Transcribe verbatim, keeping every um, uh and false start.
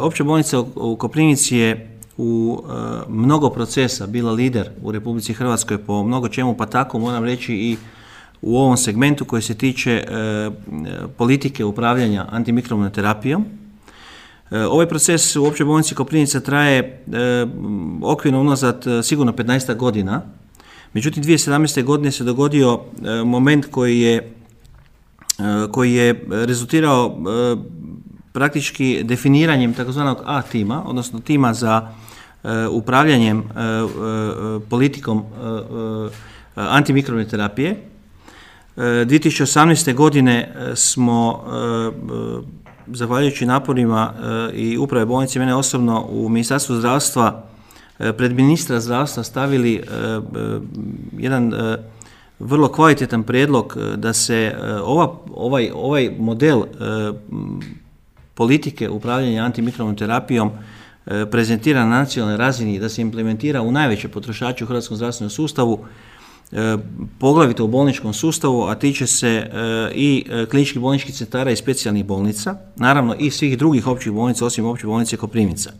Opća bolnica u Koprivnici je u mnogo procesa bila lider u Republici Hrvatskoj po mnogo čemu, pa tako moram reći i u ovom segmentu koji se tiče politike upravljanja antimikrobnom terapijom. Ovaj proces u Općoj bolnici Koprivnica traje okvirno unazad sigurno petnaestak godina. Međutim, dvije tisuće sedamnaeste. godine se dogodio moment koji je, koji je rezultirao praktički definiranjem takozvanog A tima, odnosno tima za upravljanjem politikom antimikrobne terapije. dvije tisuće osamnaeste. godine smo, zahvaljujući naporima i uprave bolnice, mene osobno u Ministarstvu zdravstva, pred ministra zdravstva stavili jedan vrlo kvalitetan prijedlog da se ova, ovaj, ovaj model politike upravljanja antimikrobnom terapijom prezentira na nacionalnoj razini i da se implementira u najveće potrošače u hrvatskom zdravstvenom sustavu, poglavito u bolničkom sustavu, a tiče se i kliničkih bolničkih centara i specijalnih bolnica, naravno i svih drugih općih bolnica osim Opće bolnice Koprivnica.